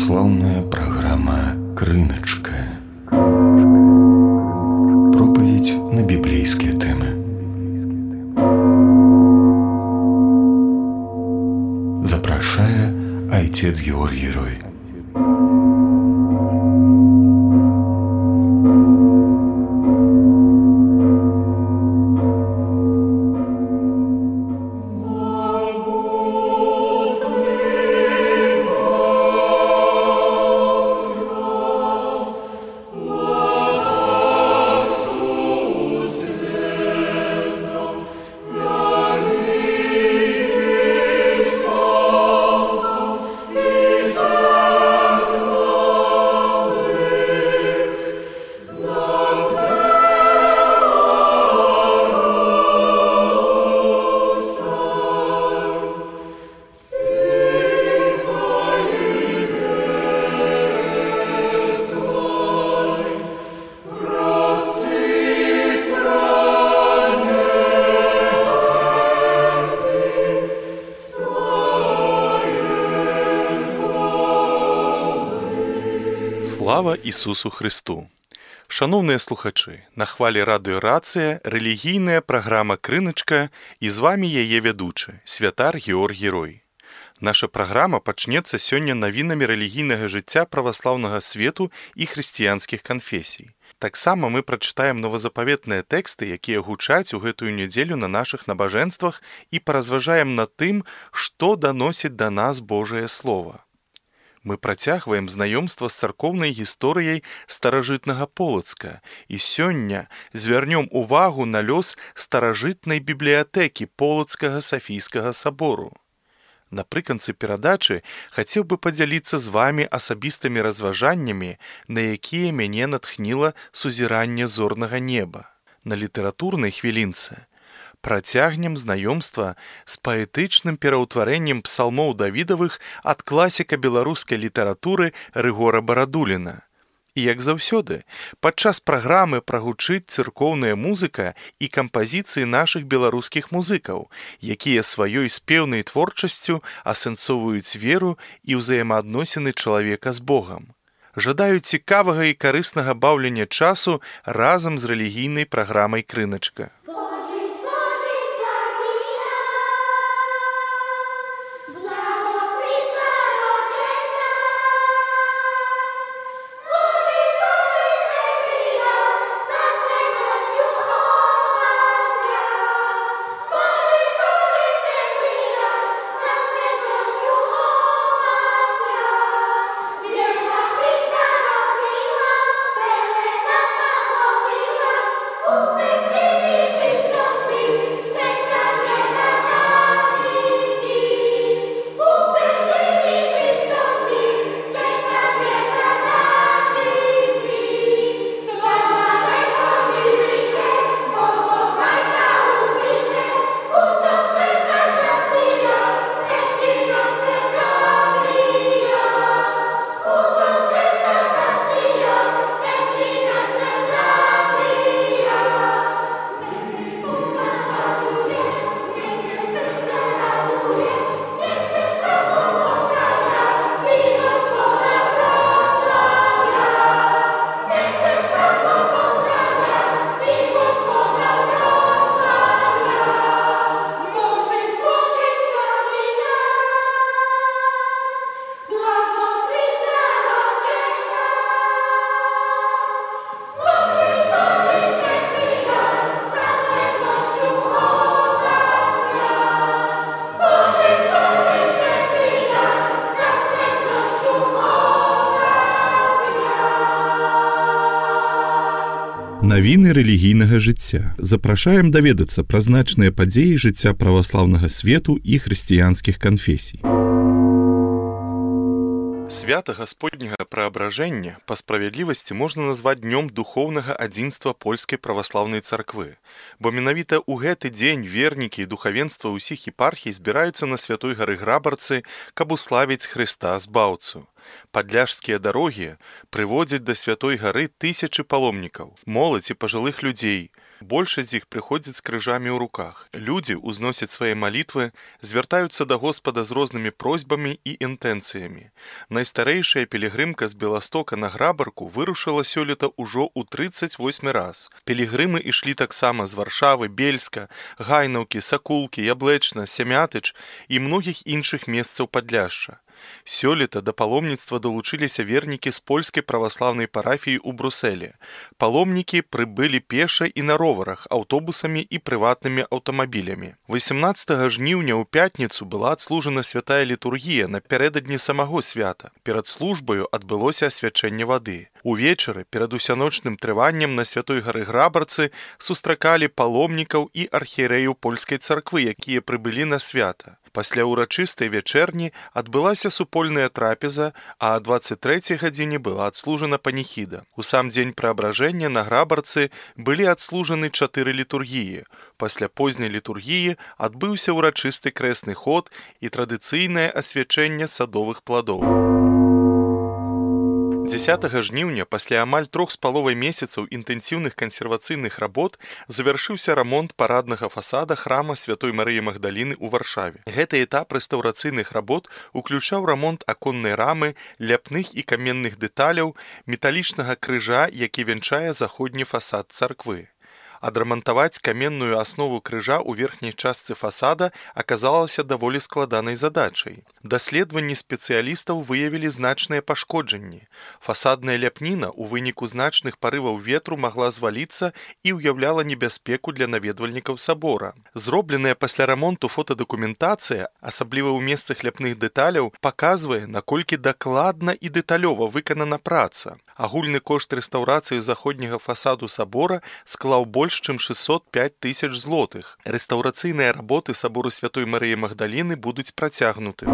Православная программа «Крыночка». Проповедь на библейские темы. Запрашае отец Георгий Рой. Слава Ісусу Христу! Шановныя слухачы, на хвалі радыё Рацыя рэлігійная праграма «Крыночка» і з вамі яе вядучы, святар Георгій Рой. Наша праграма пачнецца сёння навінамі рэлігійнага жыцця праваслаўнага свету і хрысціянскіх канфесій. Таксама мы прачытаем новазапаветныя тэксты, якія гучаць у гэтую нядзелю на нашых набажэнствах і паразважаем над тым, што даносіць да нас Божае Слова. Мы працягваем знаёмства з царкоўнай гісторыяй старажытнага Полацка і сёння звярнём увагу на лёс старажытнай бібліятэкі Полацкага Сафійскага сабору. Напрыканцы перадачы хацеў бы падзяліцца з вамі асабістымі разважаннямі, на якія мяне натхніла сузіранне зорнага неба. На літаратурнай хвілінцы працягнем знаёмства з паэтычным пераўтварэннем псалмоў Давідавых ад класіка беларускай літаратуры Рыгора Барадуліна. І, як заўсёды, падчас праграмы прагучыць цыркоўная музыка і кампазіцыі нашых беларускіх музыкаў, якія сваёй спеўнай творчасцю асэнсоўваюць веру і ўзаемаадносіны чалавека з Богам. Жадаю цікавага і карыснага баўлення часу разам з рэлігійнай праграмай «Крыночка». Навіны рэлігійнага жыцця. Запрашаем даведацца пра значныя падзеі жыцця праваслаўнага свету і хрысціянскіх канфесій. Свята Гасподняга Праабражэння па справядлівасці можна назваць днём духоўнага адзінства польскай праваслаўнай царквы, бо менавіта ў гэты дзень вернікі і духавенства ўсіх епархій збіраюцца на святой гары Грабарцы, каб уславіць Хрыста Збаўцу. Падляшскія дарогі прыводзяць да святой гары тысячы паломнікаў, моладзь і пажылых людзей, Большасць з іх прыходзяць з крыжамі ў руках. Людзі ўзносяць свае малітвы, звяртаюцца да Господа з рознымі просьбамі і інтэнцыямі. Найстарэйшая пілігрымка з Беластока на Грабарку вырушыла сёлета ўжо ў 38 раз. Пілігрымы ішлі таксама з Варшавы, Бельска, Гайнаўкі, Сакулкі, Яблэчна, Сямятыч і многіх іншых месцаў Падляшша. Сёлета да паломніцтва далучыліся вернікі з польскай праваслаўнай парафіі ў Брусэле. Паломнікі прыбылі пеша і на роварах, аўтобусамі і прыватнымі аўтамабілямі. 18 жніўня ў пятніцу была адслужана святая літургія напярэдадні самого свята. Перад службаю адбылося асвячэнне вады. Увечары перад усяночным трываннем на Святой гары Грабарцы сустракалі паломнікаў і архієрэяў польскай царквы, якія прыбылі на свята. Пасля ўрачыстай вячэрні адбылася супольная трапеза, а о 23 гадзіне была адслужана паніхіда. У сам дзень праабражэння на Грабарцы былі адслужаны 4 літургіі. Пасля позняй літургіі адбыўся ўрачысты крэсны ход і традыцыйнае асвячэнне садовых пладоў. 10 жніўня пасля амаль 3,5 месяцаў інтэнсіўных кансервацыйных работ завяршыўся рамонт параднага фасада храма Святой Марыі Магдаліны ў Варшаве. Гэты этап рэстаўрацыйных работ уключаў рамонт аконнай рамы, ляпных і каменных дэталяў, металічнага крыжа, які вянчае заходні фасад царквы. Адрамантаваць каменную аснову крыжа ў верхняй частцы фасада аказалася даволі складанай задачай. Даследаванні спецыялістаў выявілі значныя пашкоджанні. Фасадная ляпніна ў выніку значных парываў ветру магла зваліцца і ўяўляла небяспеку для наведвальнікаў сабора. Зробленая пасля рамонту фотадакументацыя, асабліва ў месцах ляпных дэталяў, паказвае, наколькі дакладна і дэталёва выканана праца. Агульны кошт рэстаўрацыі заходняга фасаду сабора склаў больш чым 605 000 злотых. Рэстаўрацыйныя работы сабору Святой Марыі Магдаліны будуць працягнуты.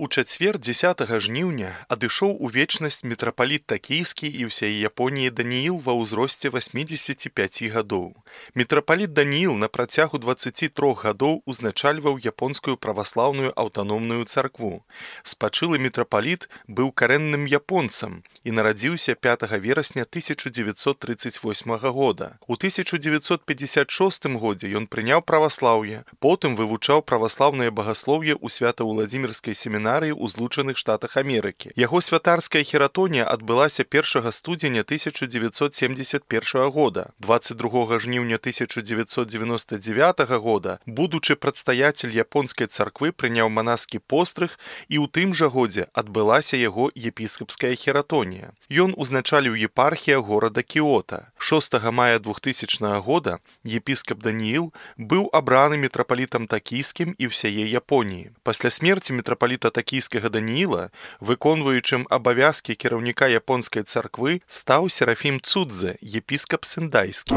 У чацвер 10 жніўня адышоў у вечнасць мітрапаліт Такійскі і ўсяе Японіі Данііл ва ўзросце 85 гадоў. Мітрапаліт Данііл на працягу 23 гадоў узначальваў японскую праваслаўную аўтаномную царкву. Спачылы мітрапаліт быў карэнным японцам і нарадзіўся 5 верасня 1938 года. У 1956 годзе ён прыняў праваслаўе, потым вывучаў праваслаўнае багаслоўе ў Свята-Уладзімірскай семінарыі ў Злучаных Штатах Амерыкі. Яго святарская хератонія адбылася 1 студзеня 1971 года. 22 жніўня 1999 года будучы прадстаяцель японскай царквы прыняў манаскі пострыг і ў тым жа годзе адбылася яго епіскапская хератонія. Ён узначаліў епархія горада Кіота. 6 мая 2000 года епіскап Данііл быў абраны мітрапалітам Такійскім і ўсяе Японіі. Пасля смерці мітрапаліта Такійскага Данііла, выконваючым абавязкі кіраўніка японскай царквы, стаў Серафім Цудзе, епіскап Сендайскі.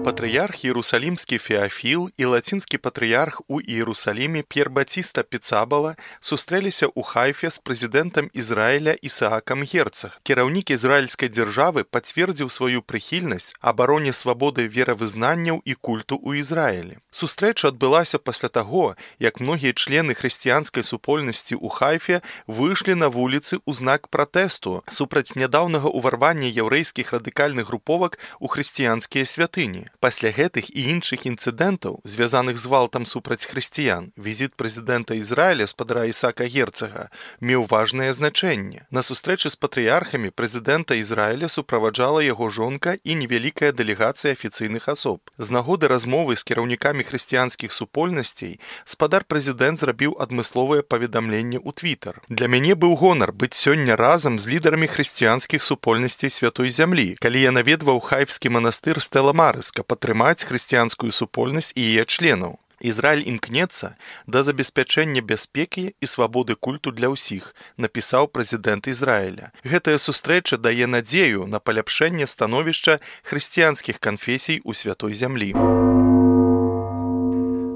Патрыярх Іерусалімскі Феафіл і лацінскі патрыярх у Іерусаліме П'ер Батіста Піцабала сустрэліся ў Хайфе з прэзідэнтам Ізраіля Ісаакам Герцаг. Кіраўнік ізраільскай дзяржавы пацвердзіў сваю прыхільнасць абароне свабоды веравызнанняў і культу ў Ізраілі. Сустрэча адбылася пасля таго, як многія члены хрысціянскай супольнасці ў Хайфе выйшлі на вуліцы ў знак пратэсту супраць нядаўнага ўварвання яўрэйскіх радыкальных груповак у хрысціянскія святыні. Пасля гэтых і іншых інцыдэнтаў, звязаных з гвалтам супраць хрысціян, візіт прэзідэнта Ізраіля спадара Ісаака Герцага меў важнае значэнне. На сустрэчы з патрыярхамі прэзідэнта Ізраіля суправаджала яго жонка і невялікая дэлегацыя афіцыйных асоб. З нагоды размовы з кіраўнікамі хрысціянскіх супольнасцей спадар прэзідэнт зрабіў адмысловае паведамленне ў Твітар. Для мяне быў гонар быць сёння разам з лідарамі хрысціянскіх супольнасцей Святой Зямлі, калі я наведваў хайфскі манастыр Стэла Марыс, каб падтрымаць хрысціянскую супольнасць і яе членаў. Ізраіль імкнецца да забеспячэння бяспекі і свабоды культу для ўсіх, напісаў прэзідэнт Ізраіля. Гэтая сустрэча дае надзею на паляпшэнне становішча хрысціянскіх канфесій у Святой Зямлі.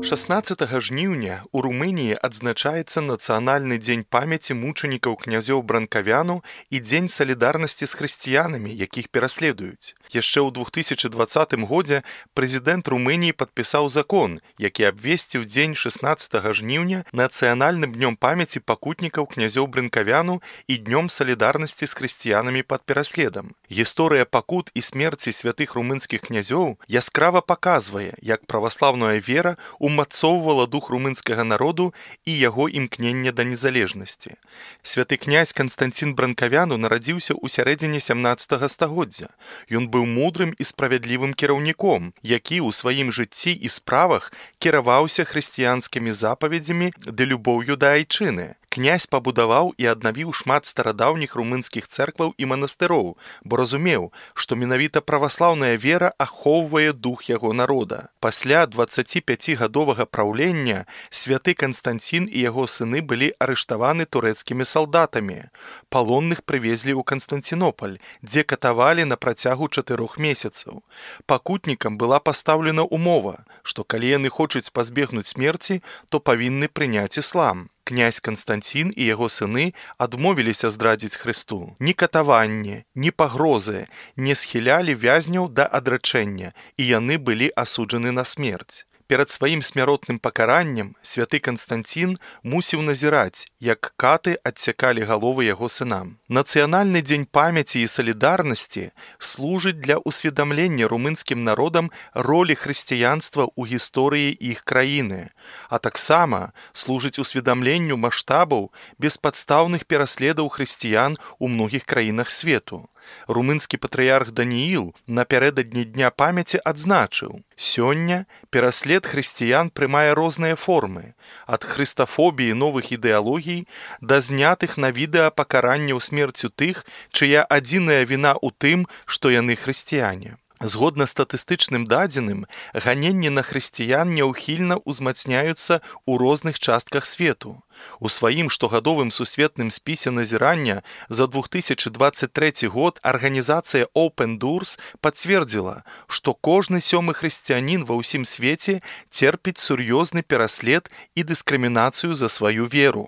16 жніўня у Румыніі адзначаецца нацыянальны дзень памяці мучанікаў князёў Бранкавяну і дзень салідарнасці з хрысціянамі, якіх пераследуюць. Яшчэ ў 2020 годзе прэзідэнт Румыніі падпісаў закон, які абвесціў дзень 16 жніўня нацыянальным днём памяці пакутнікаў князёў Бранкавяну і днём салідарнасці з хрысціянамі пад пераследам. Гісторыя пакут і смерці святых румынскіх князёў яскрава паказвае, як праваслаўная вера умацоўвала дух румынскага народу і яго імкнення да незалежнасці. Святы князь Канстанцін Бранкавяну нарадзіўся ў сярэдзіне 17 стагоддзя. Ён быў мудрым і справядлівым кіраўніком, які ў сваім жыцці і справах кіраваўся хрысціянскімі запаведзямі ды любоўю да айчыны. Князь пабудаваў і аднавіў шмат старадаўніх румынскіх цэркваў і манастыроў, бо разумеў, што менавіта праваслаўная вера ахоўвае дух яго народа. Пасля 25-гадовага праўлення святы Канстанцін і яго сыны былі арыштаваны турэцкімі салдатамі. Палонных прывезлі ў Канстанцінопаль, дзе катавалі на працягу 4 месяцаў. Пакутнікам была пастаўлена умова, што калі яны хочуць пазбегнуць смерці, то павінны прыняць іслам. Князь Канстанцін і яго сыны адмовіліся здрадзіць Хрысту. Ні катаванне, ні пагрозы не схілялі вязняў да адрачэння, і яны былі асуджаны на смерць. Перад сваім смяротным пакараннем святы Канстанцін мусіў назіраць, як каты адсякалі галовы яго сынам. Нацыянальны дзень памяці і салідарнасці служыць для ўсведамлення румынскім народам ролі хрысціянства ў гісторыі іх краіны, а таксама служыць усведамленню маштабаў беспадстаўных пераследаў хрысціян у многіх краінах свету. Румынскі патрыярх Данііл напярэдадні дня памяці адзначыў: «Сёння пераслед хрысціян прымае розныя формы, ад хрыстафобіі новых ідэалогій да знятых на відэа пакаранняў смерцю тых, чыя адзіная віна ў тым, што яны хрысціяне». Згодна статыстычным дадзеным, ганенні на хрысціян няўхільна ўзмацняюцца ў розных частках свету. У сваім штогадовым сусветным спісе назірання за 2023 год арганізацыя Open Doors пацвердзіла, што кожны 7-ы хрысціянін ва ўсім свеце церпіць сур'ёзны пераслед і дыскрымінацыю за сваю веру.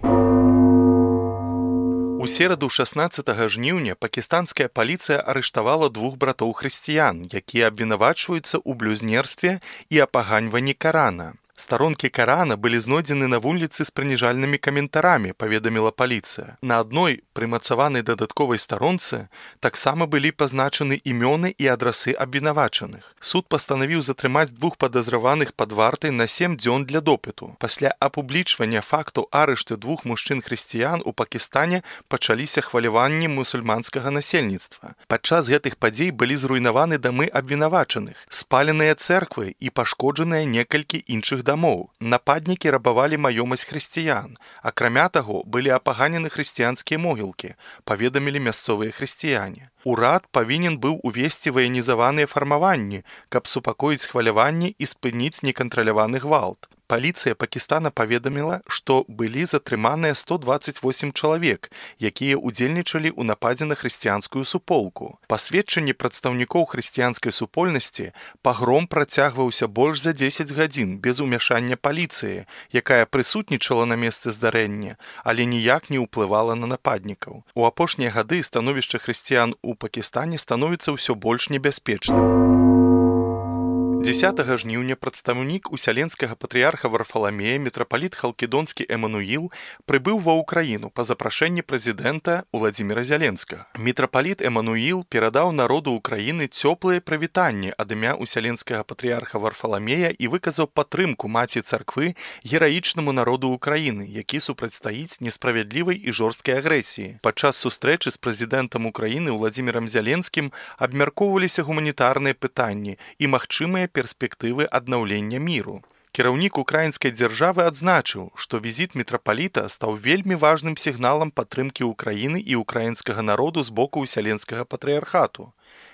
У сераду 16 жніўня пакістанская паліцыя арыштавала 2 братоў-хрысціян, якія абвінавачваюцца ў блюзнерстве і апаганьванні Карана. Старонкі Карана былі знойдзены на вуліцы з прыніжальнымі каментарамі, паведаміла паліцыя. На адной прымацаванай дадатковай старонцы таксама былі пазначаны імёны і адрасы абвінавачаных. Суд пастанавіў затрымаць 2 падазраваных пад вартай на 7 дзён для допыту. Пасля апублічвання факту арышту 2 мужчын-хрысціян у Пакістане пачаліся хваляванні мусульманскага насельніцтва. Падчас гэтых падзей былі зруйнаваны дамы абвінавачаных, спаленыя цэрквы і пашкоджаныя некалькі іншых дамоў. Нападнікі рабавалі маёмасць хрысціян. Акрамя таго, былі апаганены хрысціянскія могілкі, паведамілі мясцовыя хрысціяне. Урад павінен быў увесці ваенізаваныя фармаванні, каб супакоіць хваляванні і спыніць некантраляваны гвалт. Паліцыя Пакістана паведаміла, што былі затрыманыя 128 чалавек, якія ўдзельнічалі ў нападзе на хрысціянскую суполку. Па сведчанні прадстаўнікоў хрысціянскай супольнасці, пагром працягваўся больш за 10 гадзін без умяшання паліцыі, якая прысутнічала на месцы здарэння, але ніяк не ўплывала на нападнікаў. У апошнія гады становішча хрысціян у Пакістане становіцца ўсё больш небяспечным. 10 жніўня прадстаўнік усяленскага патрыярха Варфаламея мітрапаліт Халкідонскі Эмануіл прыбыў ва ўкраіну па запрашэнні прэзідэнта Уладзіміра Зяленскага. Мітрапаліт Эмануіл перадаў народу ўкраіны цёплыя прывітанні ад імя усяленскага патрыярха Варфаламея і выказаў падтрымку маці царквы гераічнаму народу ўкраіны, які супрацьстаіць несправядлівай і жорсткай агрэсіі. Падчас сустрэчы з прэзідэнтам Украіны Уладзімірам Зяленскім абмяркоўваліся гуманітарныя пытанні і магчымыя перспектывы аднаўлення міру. Кіраўнік украінскай дзяржавы адзначыў, што візіт мітрапаліта стаў вельмі важным сігналам падтрымкі ўкраіны і украінскага народу з боку усяленскага патрыярхату.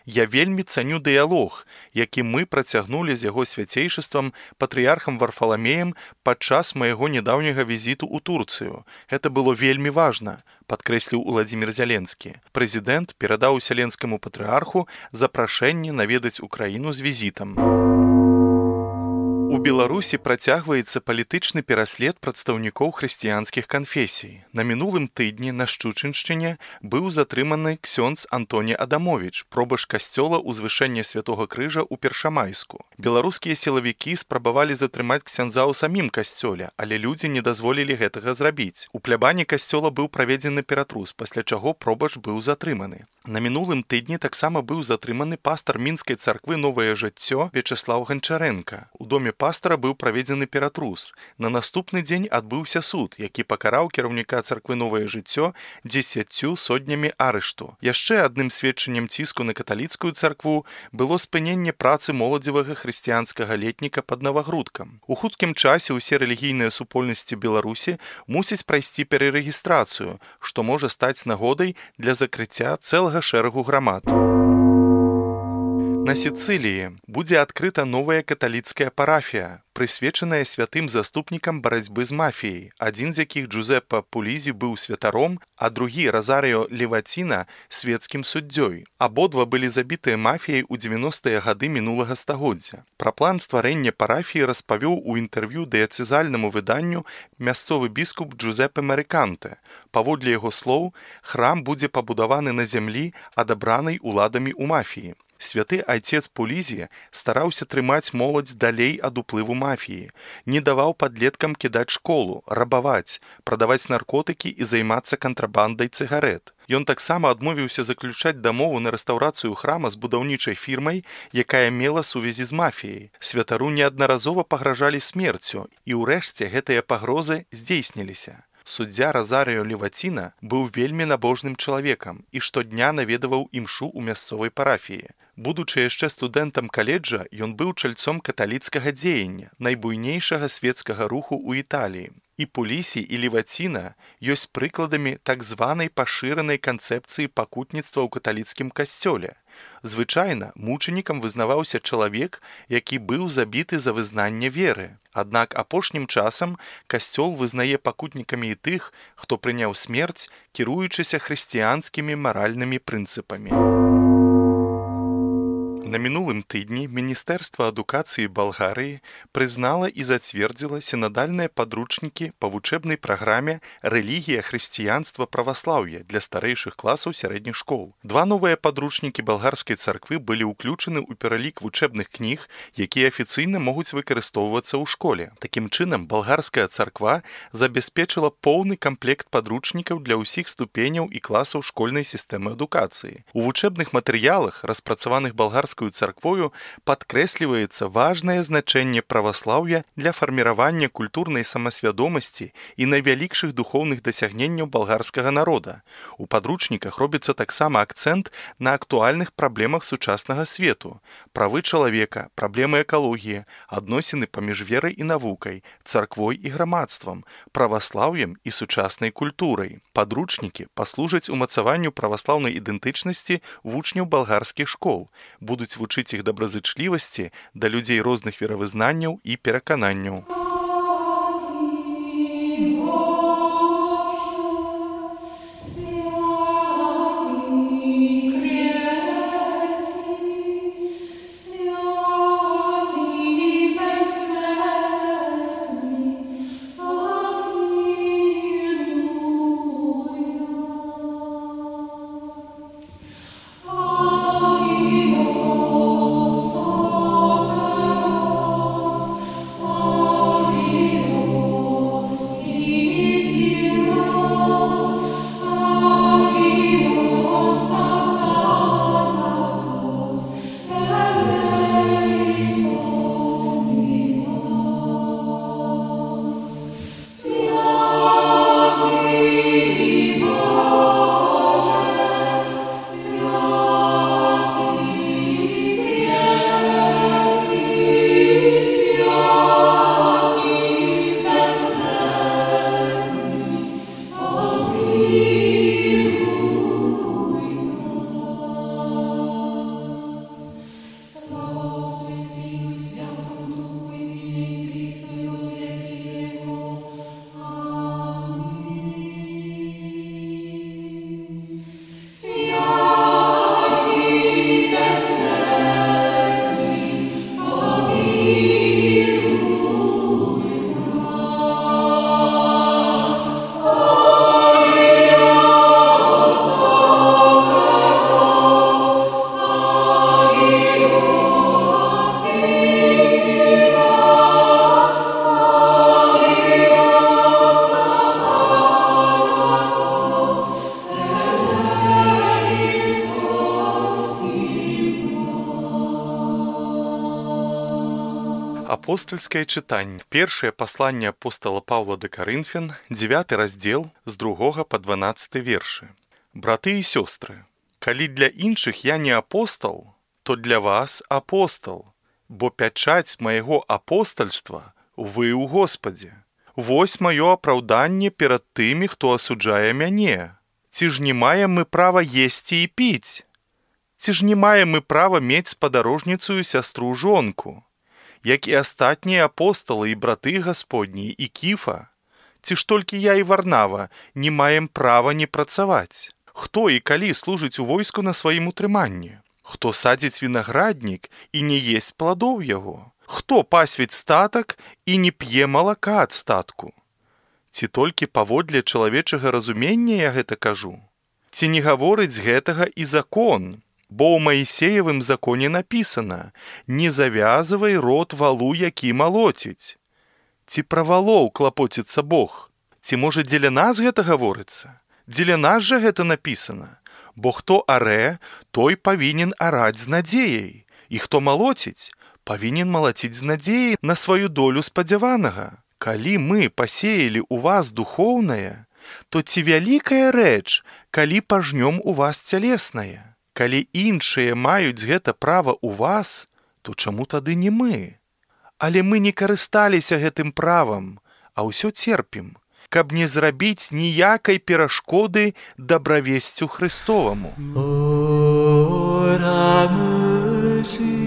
Я вельмі цаню дыялог, які мы працягнулі з яго свяцейшыствам патрыярхам Варфаламеем падчас майго нядаўняга візіту ў Турцыю. Гэта было вельмі важна, падкрэсліў Уладзімір Зяленскі. Прэзідэнт перадаў усяленскаму патрыярху запрашэнне наведаць Украіну з візітам. У Беларусі працягваецца палітычны пераслед прадстаўнікоў хрысціянскіх канфесій. На мінулым тыдні на Шчучыншчыне быў затрыманы ксёндз Антоні Адамовіч, пробаш касцёла ўзвышэння Святога Крыжа ў Першамайску. Беларускія сілавікі спрабавалі затрымаць ксяндза ў самім касцёле, але людзі не дазволілі гэтага зрабіць. У плябане касцёла быў праведзены ператрус, пасля чаго пробач быў затрыманы. На мінулым тыдні таксама быў затрыманы пастар мінскай царквы «Новае жыццё» Вячеслав Ганчаренка. У доме пастара быў праведзены ператрус. На наступны дзень адбыўся суд, які пакараў кіраўніка царквы «Новае жыццё» 10 сотнямі арышту. Яшчэ адным сведчаннем ціску на каталіцкую царкву было спыненне працы моладзевага хрысціянскага летніка пад Навагрудкам. У хуткім часе ўсе рэлігійныя супольнасці Беларусі мусяць прайсці перарэгістрацыю, што можа стаць нагодай для закрыцця цэлага шэрагу грамад. На Сіцыліі будзе адкрыта новая каталіцкая парафія, прысвечаная святым заступнікам барацьбы з мафіяй, адзін з якіх Джузеппе Пулізі быў святаром, а другі Розаріо Ліваціна свецкім суддзёй. Абодва былі забітыя мафіяй у 90-е гады мінулага стагоддзя. Пра план стварэння парафіі распавёў у інтэрв'ю дыяцэзальнаму выданню мясцовы біскуп Джузеппе Марыканте. Паводле яго слоў, храм будзе пабудаваны на зямлі, адабранай уладамі ў мафіі. Святы айцец Пулізі стараўся трымаць моладзь далей ад уплыву мафіі, не даваў падлеткам кідаць школу, рабаваць, прадаваць наркотыкі і займацца кантрабандай цыгарэт. Ён таксама адмовіўся заключаць дамову на рэстаўрацыю храма з будаўнічай фірмай, якая мела сувязі з мафіяй. Святару неаднаразова пагражалі смерцю, і ўрэшце гэтыя пагрозы здзейсніліся. Суддзя Розаріо Ліваціна быў вельмі набожным чалавекам і штодня наведаваў імшу ў мясцовай парафіі. Будучы яшчэ студэнтам каледжа, ён быў чальцом каталіцкага дзеяння, найбуйнейшага свецкага руху ў Італіі. І Пулісі, і Ліваціна ёсць прыкладамі так званай пашыранай канцэпцыі пакутніцтва ў каталіцкім касцёле. Звычайна мучанікам вызнаваўся чалавек, які быў забіты за вызнанне веры. Аднак апошнім часам касцёл вызнае пакутнікамі і тых, хто прыняў смерць, кіруючыся хрысціянскімі маральнымі прынцыпамі. На мінулым тыдні Міністэрства адукацыі Балгарыі прызнала і зацвердзіла сінадальныя падручнікі па вучэбнай праграме «Рэлігія, хрысціянства, праваслаўе» для старэйшых класаў сярэдніх школ. Два новыя падручнікі балгарскай царквы былі ўключаны ў пералік вучэбных кніг, якія афіцыйна могуць выкарыстоўвацца ў школе. Такім чынам, балгарская царква забяспечыла поўны камплект падручнікаў для ўсіх ступеняў і класаў школьнай сістэмы адукацыі. У вучэбных матэрыялах, распрацаваных балгарскай царквою, падкрэсліваецца важнае значэнне праваслаўя для фарміравання культурнай самасвядомасці і найвялікшых духоўных дасягненняў балгарскага народа. У падручніках робіцца таксама акцэнт на актуальных праблемах сучаснага свету: правы чалавека, праблемы экалогіі, адносіны паміж верай і навукай, царквой і грамадствам, праваслаўем і сучаснай культурай. Падручнікі паслужаць умацаванню праваслаўнай ідэнтычнасці вучняў балгарскіх школ, будуць вучыць іх добразычлівасці да людзей розных веравызнанняў і перакананняў. Oh Апостальскае чытанне. Першае пасланне апостала Паўла да Карынфян, 9 раздзел, з 2 па 12 вершы. Браты і сёстры, калі для іншых я не апостал, то для вас апостал, бо пячаць майго апостальства вы ў Господе. Вось маё апраўданне перад тымі, хто асуджае мяне. Ці ж не маем мы права есці і піць? Ці ж не маем мы права мець спадарожніцу сястру-жонку? Як і астатнія апосталы і браты Гасподні і Кіфа? Ці ж толькі я і Варнава не маем права не працаваць? Хто і калі служыць у войску на сваім утрыманні? Хто садзіць вінаграднік і не есць пладоў яго? Хто пасвіць статак і не п'е малака ад статку? Ці толькі паводле чалавечага разумення я гэта кажу? Ці не гаворыць гэтага і закон? Бо ў Маісеевым законе напісана: «Не завязывай рот валу, які малоціць». Ці пра валоў клапоціцца Бог? Ці можа дзеля нас гэта гаворыцца? Дзеля нас жа гэта напісана. Бо хто арэ, той павінен араць з надзеяй. І хто малоціць, павінен малаціць з надзеяй на сваю долю спадзяванага. Калі мы пасеялі ў вас духоўнае, то ці вялікая рэч, калі пажнём у вас цялеснае? Калі іншыя маюць гэта права ў вас, то чаму тады не мы? Але мы не карысталіся гэтым правам, а ўсё церпім, каб не зрабіць ніякай перашкоды дабравесцю Христоваму. Lord, have mercy.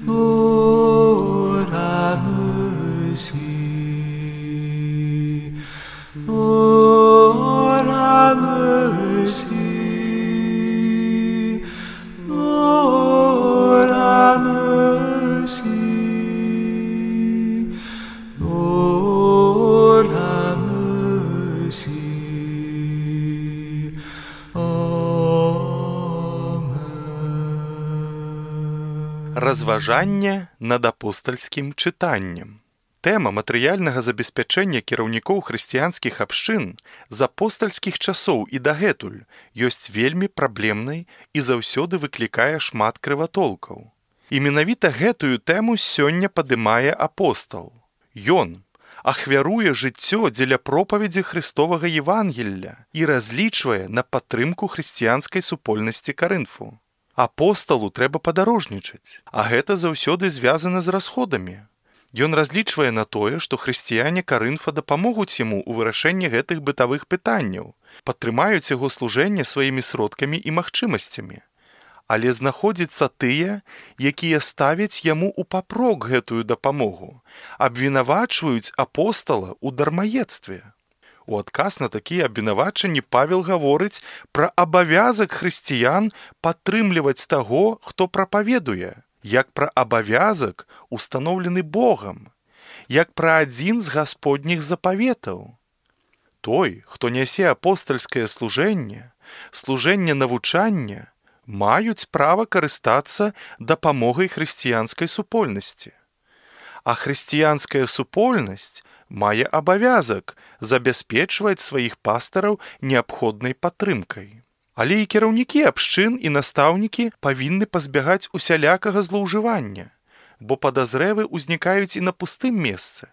Lord, have mercy. Lord, have mercy. Lord, have mercy. Lord, have mercy. Разважанне над апостальскім чытаннем. Тэма матэрыяльнага забеспячэння кіраўнікоў хрысціянскіх абшчын з апостальскіх часоў і дагэтуль ёсць вельмі праблемнай і заўсёды выклікае шмат крыватолкаў. І менавіта гэтую тэму сёння падымае апостал. Ён ахвяруе жыццё дзеля пропаведзі Христовага Евангелля і разлічвае на падтрымку хрысціянскай супольнасці Карынфу. Апосталу трэба падарожнічаць, а гэта заўсёды звязана з расходамі. Ён разлічвае на тое, што хрысціяне Карынфа дапамогуць яму ў вырашэнні гэтых бытавых пытанняў, падтрымаюць яго служэнне сваімі сродкамі і магчымасцямі. Але знаходзяцца тыя, якія ставяць яму ў папрок гэтую дапамогу, абвінавачваюць апостала ў дармаедстве. У адказ на такія абвінавачанні Павел гаворыць пра абавязак хрысціян падтрымліваць таго, хто прапаведуе, як пра абавязак, устаноўлены Богам, як пра адзін з гасподніх запаветаў. Той, хто нясе апостальскае служэнне, служэнне навучання, маюць права карыстацца дапамогай хрысціянскай супольнасці. А хрысціянская супольнасць мае абавязак забяспечваць сваіх пастараў неабходнай падтрымкай. Але і кіраўнікі абшчын і настаўнікі павінны пазбягаць усялякага злоўжывання, бо падазревы ўзнікаюць і на пустым месцы.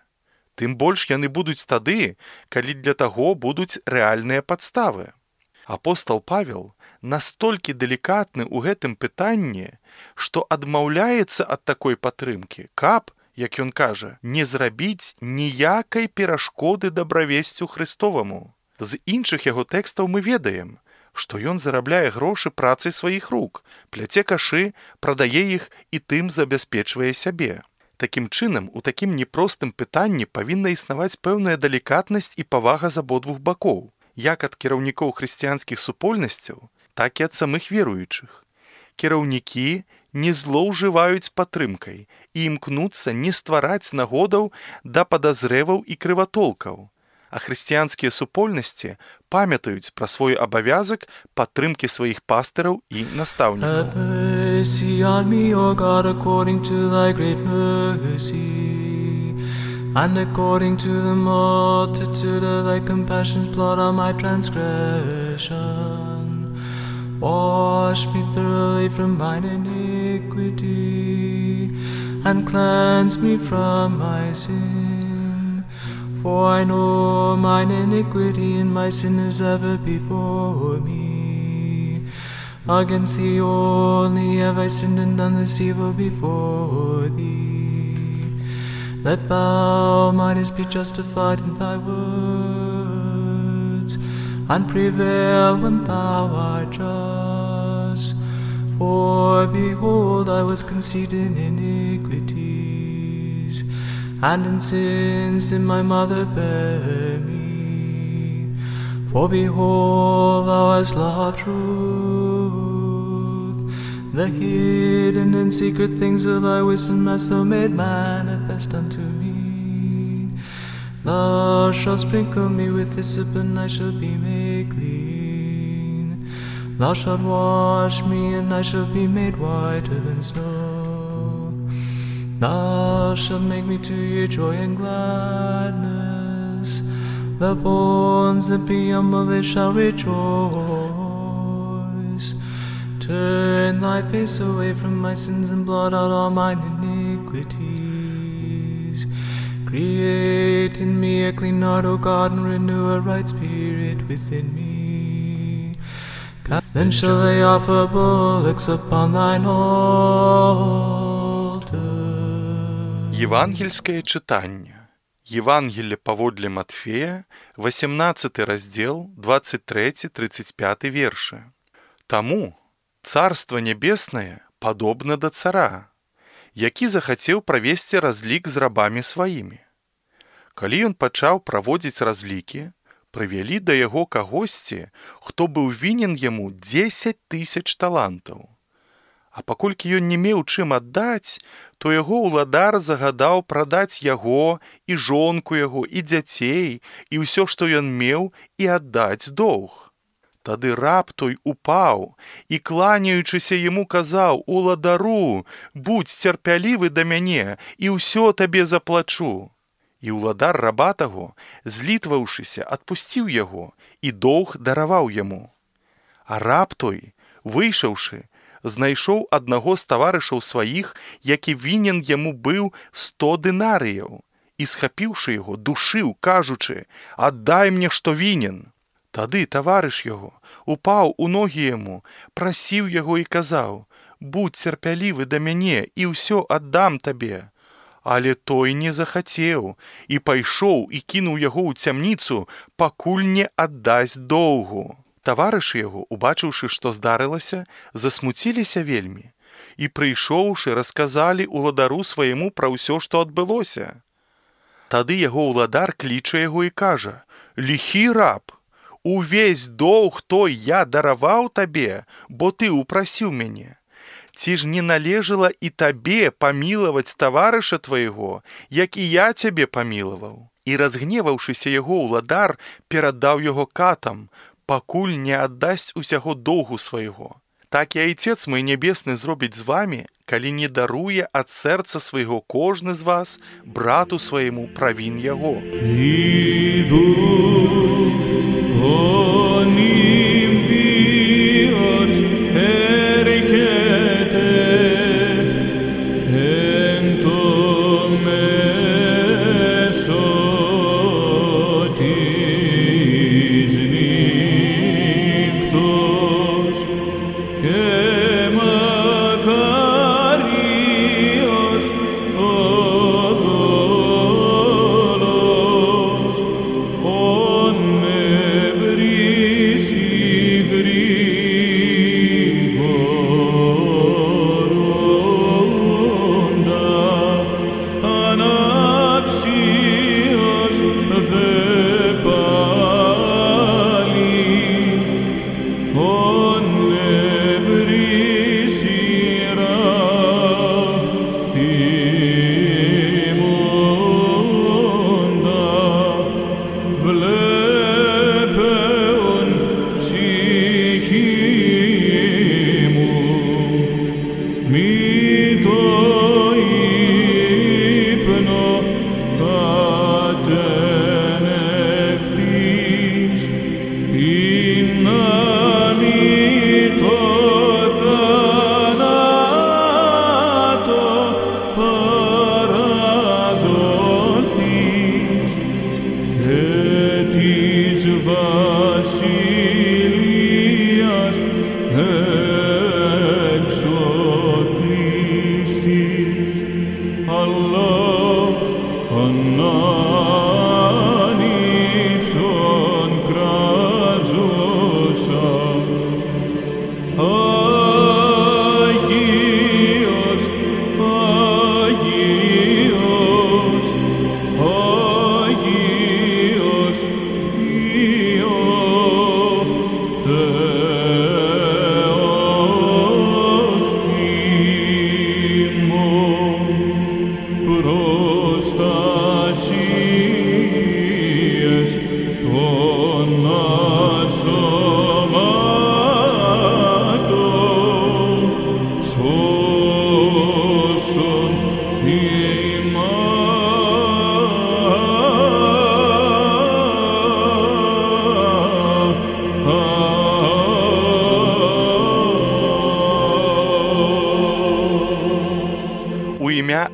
Тым больш яны будуць тады, калі для таго будуць рэальныя падставы. Апостал Павел настолькі далікатны ў гэтым пытанні, што адмаўляецца ад такой падтрымкі, каб, як ён кажа, не зрабіць ніякай перашкоды дабравесцю Христоваму. З іншых яго тэкстаў мы ведаем, што ён зарабляе грошы працай сваіх рук, пляце кашы, прадае іх і тым забяспечвае сябе. Такім чынам, у такім непростым пытанні павінна існаваць пэўная далікатнасць і павага з абодвух бакоў, як ад кіраўнікоў хрысціянскіх супольнасцяў, так і ад самых веруючых. Кіраўнікі не злоўжываюць падтрымкай і імкнуцца не ствараць нагодаў да падазреваў і крыватолкаў, а хрысціянскія супольнасці памятаюць пра свой абавязак падтрымкі сваіх пастыраў і настаўнікаў. Have mercy on me, O God, according to thy great mercy, and according to the multitude of thy compassions, blot out my transgression. Wash me thoroughly from mine iniquity, and cleanse me from my sin. For I know mine iniquity, and my sin is ever before me. Against thee only have I sinned and done this evil before thee, that thou mightest be justified in thy words, and prevail when thou art just. For behold, I was conceived in iniquities, and in sins did my mother bear me. For behold, thou hast loved truth, the hidden and secret things of thy wisdom hast thou made manifest unto me. Thou shalt sprinkle me with hyssop, and I shall be made clean. Thou shalt wash me, and I shall be made whiter than snow. Thou shalt make me to hear joy and gladness. The bones that be humble, they shall rejoice. Turn thy face away from my sins, and blot out all mine iniquities. Create in me a clean heart, O God, and renew a right spirit within me. Then shall they offer bullocks upon thine altar. Євангельське читання. Євангеліє паводле Матфея, 18 розділ, 23-35 вірші. Таму Царство Небеснае падобна да цара, які захацеў правесці разлік з рабамі сваімі. Калі ён пачаў праводзіць разлікі, прывялі да яго кагосьці, хто быў вінен яму 10 000 талантаў. А паколькі ён не меў чым аддаць, то яго ўладар загадаў прадаць яго і жонку яго, і дзяцей, і ўсё, што ён меў, і аддаць доўг. Тады раб той упаў і, кланяючыся яму, казаў: «Уладару, будзь цярпялівы да мяне, і ўсё табе заплачу». І ўладар раба таго, злітваўшыся, адпусціў яго і доўг дараваў яму. А раб той, выйшаўшы, знайшоў аднаго з таварышаў сваіх, які вінен яму быў 100 дынарыяў, і, схапіўшы яго, душыў, кажучы: «Аддай мне, што вінен». Тады таварыш яго упаў у ногі яму, прасіў яго і казаў: «Будь цярпялівы да мяне, і ўсё аддам табе». Але той не захацеў і пайшоў і кінуў яго ў цямніцу, пакуль не аддасць доўгу. Таварышы яго, убачыўшы, што здарылася, засмуціліся вельмі і, прыйшоўшы, расказалі уладару свайму пра ўсё, што адбылося. Тады яго ўладар кліча яго і кажа: «Ліхі раб, увесь доўг той я дараваў табе, бо ты упрасіў мяне. Ці ж не належала і табе памілаваць таварыша твайго, як і я цябе памілаваў?» І, разгневаўшыся, яго ўладар перадаў яго катам, пакуль не аддасць усяго доўгу свайго. Так і Айцец мой небесны зробіць з вамі, калі не даруе ад сэрца свайго кожны з вас брату свайму правін яго. Every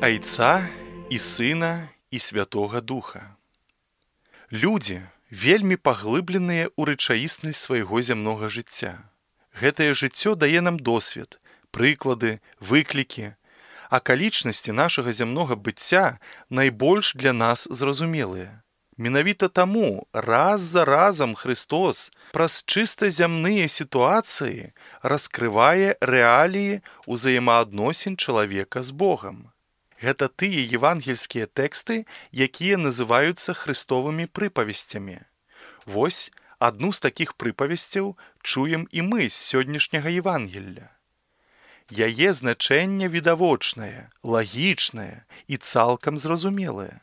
Айца і Сына і Святога Духа. Людзі вельмі паглыбленыя ў рэчаіснасць свайго зямнога жыцця. Гэтае жыццё дае нам досвед, прыклады, выклікі. Акалічнасці нашага зямнога быцця найбольш для нас зразумелыя. Менавіта таму раз за разам Христос праз чыста зямныя сітуацыі раскрывае рэаліі ўзаемаадносін чалавека з Богам. Гэта тыя евангельскія тэксты, якія называюцца хрыстовымі прыпавесцямі. Вось адну з такіх прыпавесцяў чуем і мы з сённяшняга Евангелля. Яе значэнне відавочнае, лагічнае і цалкам зразумелае.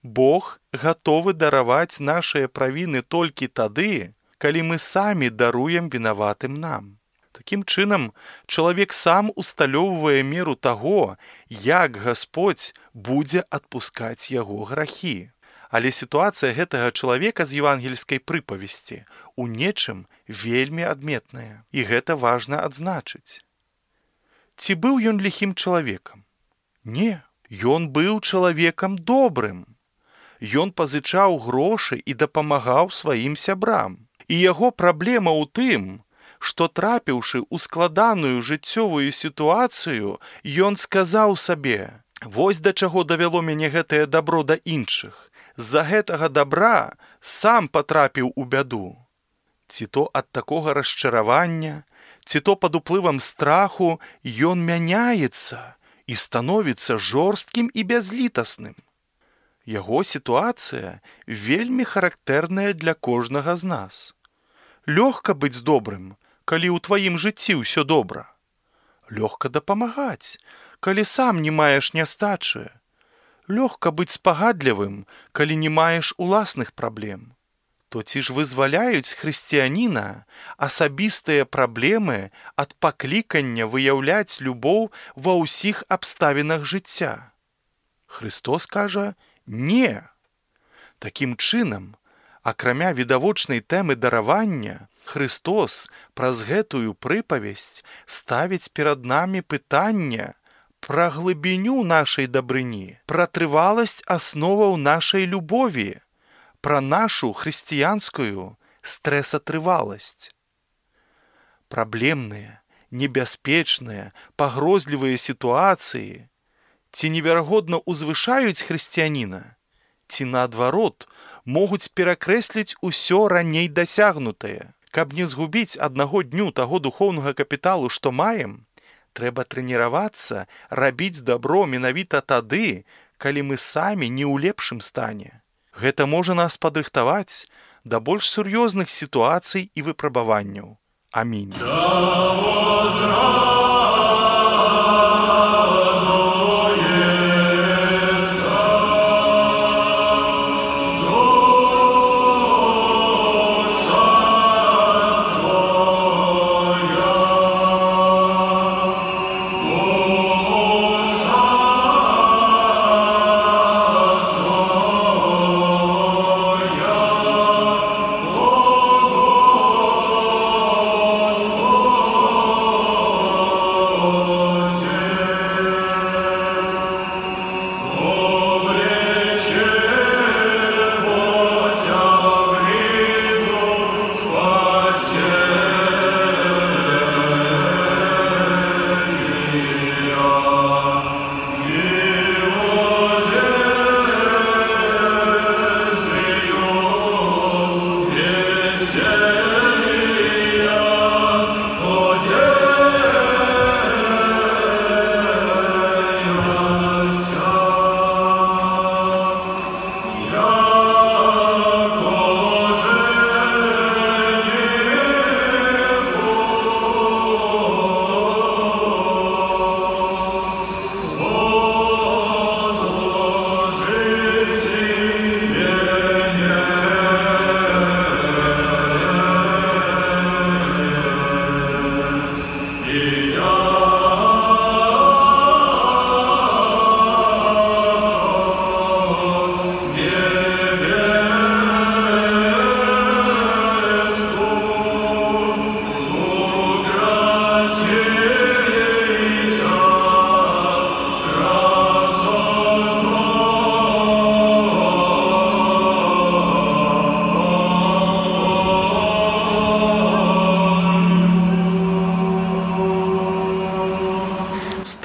Бог гатовы дараваць нашыя правіны толькі тады, калі мы самі даруем вінаватым нам. Такім чынам, чалавек сам усталёўвае меру таго, як Гасподзь будзе адпускаць яго грахі. Але сітуацыя гэтага чалавека з евангельскай прыпавесці у нечым вельмі адметная, і гэта важна адзначыць. Ці быў ён ліхім чалавекам? Не, ён быў чалавекам добрым. Ён пазычаў грошы і дапамагаў сваім сябрам. І яго праблема ў тым, што трапіўшы ў складаную жыццёвую сітуацыю, ён сказаў сабе: «Вось да чаго давяло мяне гэтае дабро да іншых. З-за гэтага дабра сам патрапіў у бяду». Ці то ад такога расчаравання, ці то пад уплывам страху ён мяняецца і становіцца жорсткім і бязлітасным. Яго сітуацыя вельмі характэрная для кожнага з нас. Лёгка быць добрым, калі ў тваім жыцці ўсё добра. Лёгка дапамагаць, калі сам не маеш нястачы. Лёгка быць спагадлівым, калі не маеш уласных праблем. То ці ж вызваляюць хрысціяніна асабістыя праблемы ад паклікання выяўляць любоў ва ўсіх абставінах жыцця? Христос кажа: «Не». Такім чынам, акрамя відавочнай тэмы даравання, Христос праз гэтую прыпавесць ставіць перад намі пытанне пра глыбіню нашай дабрыні, пра трываласць асноваў нашай любові, пра нашу хрысціянскую стрэсатрываласць. Праблемныя, небяспечныя, пагрозлівыя сітуацыі ці неверагодна узвышаюць хрысціяніна, ці наадварот могуць перакрэсліць усё раней дасягнутае. Каб не згубіць аднаго дню таго духоўнага капіталу, што маем, трэба трэніравацца рабіць дабро менавіта тады, калі мы самі не ў лепшым стане. Гэта можа нас падрыхтаваць да больш сур'ёзных сітуацый і выпрабаванняў. Амінь.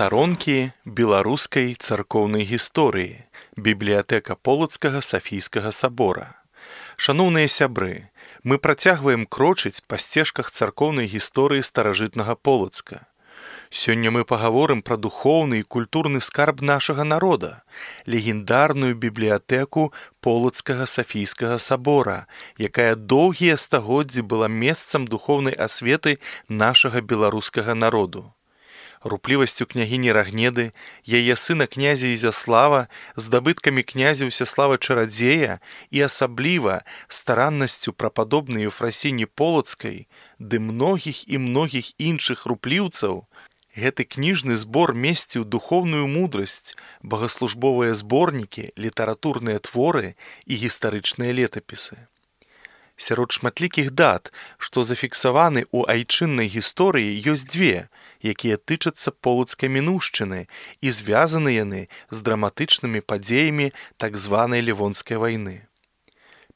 Старонкі беларускай царкоўнай гісторыі. Бібліятэка Полацкага Сафійскага сабора. Шаноўныя сябры, мы працягваем крочыць па сцежках царкоўнай гісторыі старажытнага Полацка. Сёння мы пагаворым пра духоўны і культурны скарб нашага народа, легендарную бібліятэку Полацкага Сафійскага сабора, якая доўгія стагоддзі была месцам духоўнай асветы нашага беларускага народу. Руплівасцю княгіні Рагнеды, яе сына князя Ізяслава, здабыткамі князя Усяслава Чарадзея і асабліва стараннасцю прападобнай Ефрасіні Полацкай ды многіх і многіх іншых рупліўцаў, гэты кніжны збор месціў духоўную мудрасць, богаслужбовыя зборнікі, літаратурныя творы і гістарычныя летапісы. Сярод шматлікіх дат, што зафіксаваны ў айчыннай гісторыі, ёсць дзве, якія тычацца полацкай мінуўшчыны і звязаны яны з драматычнымі падзеямі так званай Лівонскай вайны.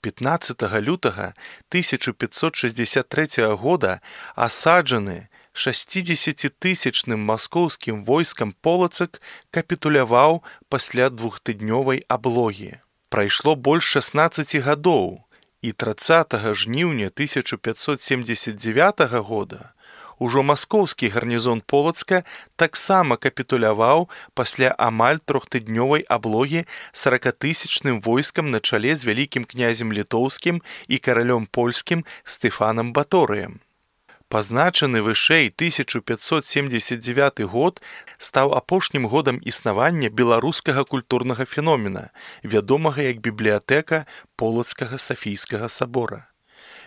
15 лютага 1563 года асаджаны 60-тысячным маскоўскім войскам Полацак капітуляваў пасля двухтыднёвай аблогі. Прайшло больш 16 гадоў, і 30 жніўня 1579 года ужо маскоўскі гарнізон Полацка таксама капітуляваў пасля амаль трохтыднёвай аблогі 40-тысячным войскам на чале з вялікім князем літоўскім і каралём польскім Стэфанам Баторыем. Пазначаны вышэй 1579 год стаў апошнім годам існавання беларускага культурнага феномена, вядомага як бібліятэка Полацкага Сафійскага сабора.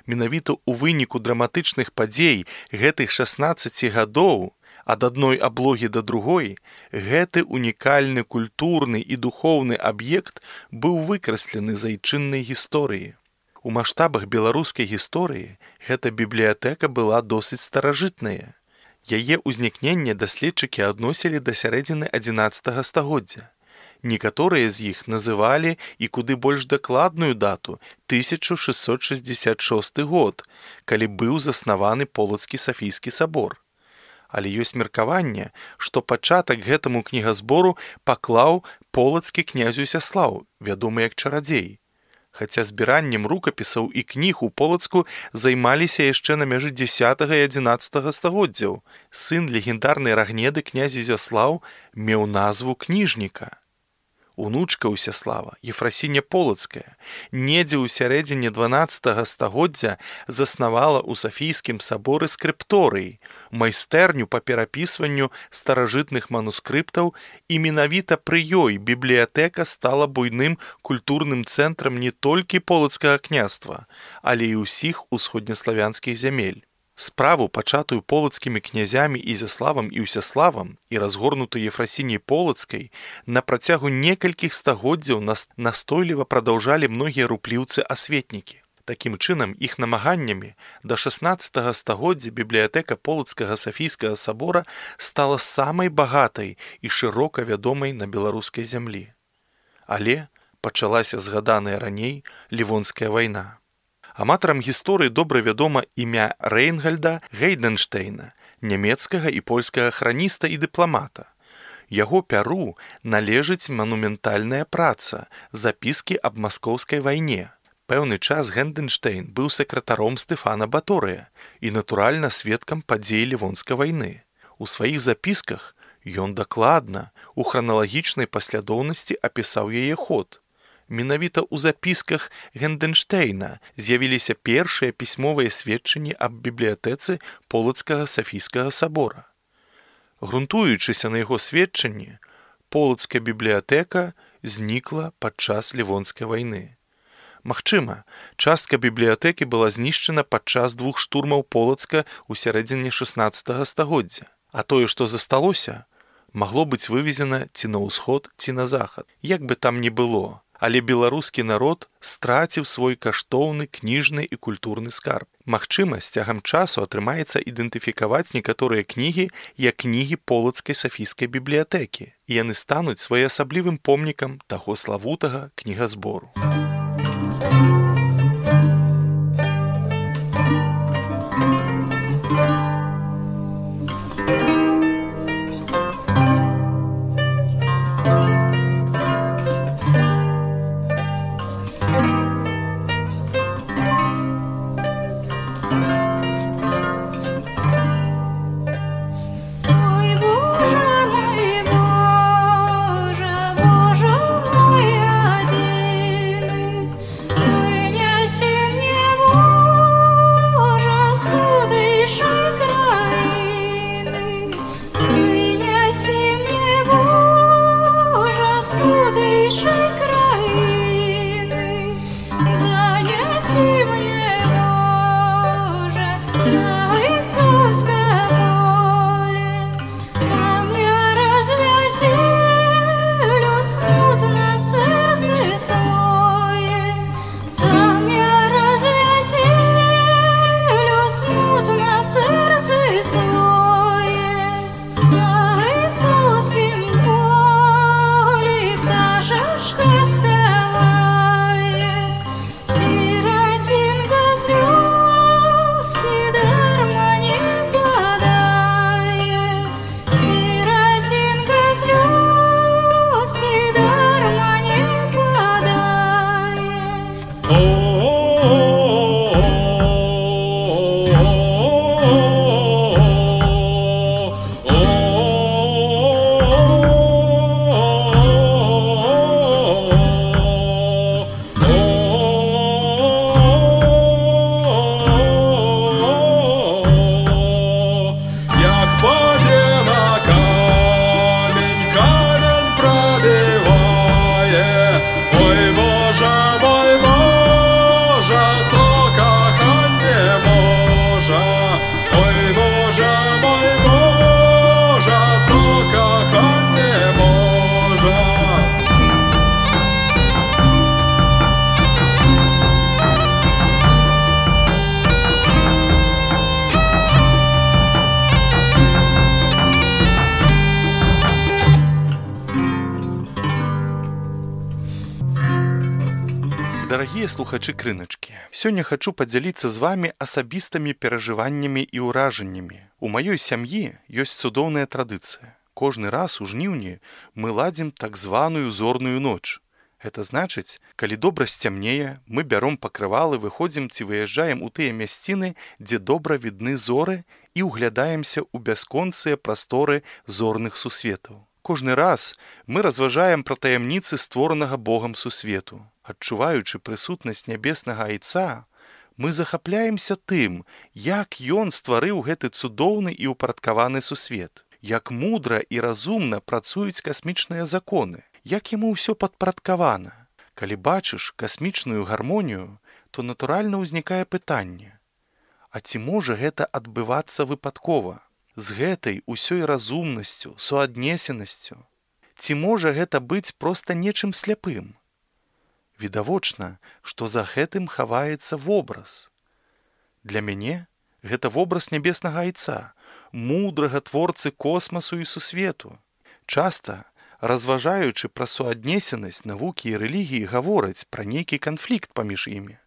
Менавіта ў выніку драматычных падзей гэтых 16 гадоў ад адной аблогі да другой гэты унікальны культурны і духоўны аб'ект быў выкраслены з айчыннай гісторыі. У маштабах беларускай гісторыі гэта бібліятэка была досыць старажытная. Яе ўзнікненне даследчыкі адносілі да сярэдзіны 11 стагоддзя. Некаторыя з іх называлі і куды больш дакладную дату 1666 год, калі быў заснаваны Полацкі Сафійскі сабор. Але ёсць меркаванне, што пачатак гэтаму кнігазбору паклаў полацкі князь Усяслаў, вядомы як Чарадзей. Хаця збіраннем рукапісаў і кніг у Полацку займаліся яшчэ на мяжы 10 і 11 стагоддзяў. Сын легендарнай Рагнеды князь Ізяслаў меў назву кніжніка. Унучка Усяслава, Ефрасіня Полацкая, недзе ў сярэдзіне 12 стагоддзя заснавала ў Сафійскім саборы скрыпторый, майстэрню па перапісванню старажытных манускрыптаў, і менавіта пры ёй бібліятэка стала буйным культурным цэнтрам не толькі Полацкага княства, але і ўсіх усходнеславянскіх зямель. Справу, пачатую полацкімі князямі Ізяславам і Усяславам і разгорнутую Ефрасіняй Полацкай, на працягу некалькіх стагоддзяў настойліва прадаўжалі многія рупліўцы-асветнікі. Такім чынам, іх намаганнямі да 16 стагоддзя бібліятэка Полацкага Сафійскага сабора стала самай багатай і шырока вядомай на беларускай зямлі. Але пачалася згаданая раней Лівонская вайна. Аматарам гісторыі добра вядома імя Рэйнгальда Гейдэнштэйна, нямецкага і польскага храніста і дыпламата. Яго пяру належыць манументальная праца «Запіскі аб маскоўскай вайне». Пэўны час Гейдэнштэйн быў сакратаром Стэфана Баторыя і, натуральна, сведкам падзей Лівонскай вайны. У сваіх запісках ён дакладна, у храналагічнай паслядоўнасці апісаў яе ход. Менавіта ў запісках Гейдэнштэйна з'явіліся першыя пісьмовыя сведчанні аб бібліятэцы Полацкага Сафійскага сабора. Грунтуючыся на яго сведчанні, Полацкая бібліятэка знікла падчас Лівонскай вайны. Магчыма, частка бібліятэкі была знішчана падчас 2 штурмаў Полацка ў сярэдзіне 16 стагоддзя, а тое, што засталося, магло быць вывезена ці на ўсход, ці на захад, як бы там ні было. Але беларускі народ страціў свой каштоўны кніжны і культурны скарб. Магчыма, з цягам часу атрымаецца ідэнтыфікаваць некаторыя кнігі як кнігі Полацкай Сафійскай бібліятэкі, і яны стануць своеасаблівым помнікам таго славутага кнігазбору. Занеси мне, Боже, на Гайцовское поле, там я развеселю смутно сердце свое, там я развеселю смутно сердце свое, на Гайцовском поле пташечка спевает, сиротинка слезки дарма не подает, сиротинка слезки дарма не подает. Як подіва камінь пробиває, ой Боже, це кохання може, ой Боже, це кохання може. Дарагія слухачы крыначкі, сёння хачу падзяліцца з вамі асабістымі перажываннямі і ўражаннямі. У маёй сям'і ёсць цудоўная традыцыя. Кожны раз у жніўні мы ладзім так званую зорную ноч. Гэта значыць, калі добра сцямнее, мы бяром пакрывалы, выходзім ці выязджаем у тыя мясціны, дзе добра відны зоры і ўглядаемся ў бясконцыя прасторы зорных сусветаў. Кожны раз мы разважаем пра таямніцы створанага Богам сусвету. Адчуваючы прысутнасць нябеснага айца, мы захапляемся тым, як ён стварыў гэты цудоўны і ўпарадкаваны сусвет, як мудра і разумна працуюць касмічныя законы, як яму ўсё падпарадкавана. Калі бачыш касмічную гармонію, то натуральна ўзнікае пытанне: а ці можа гэта адбывацца выпадкова? З гэтай усёй разумнасцю, суаднесенасцю? Ці можа гэта быць проста нечым сляпым? Відавочна, што за гэтым хаваецца вобраз. Для мяне гэта вобраз нябеснага айца, мудрага творцы космасу і сусвету. Часта, разважаючы пра суаднесенасць навукі і рэлігіі, гавораць пра нейкі канфлікт паміж імі.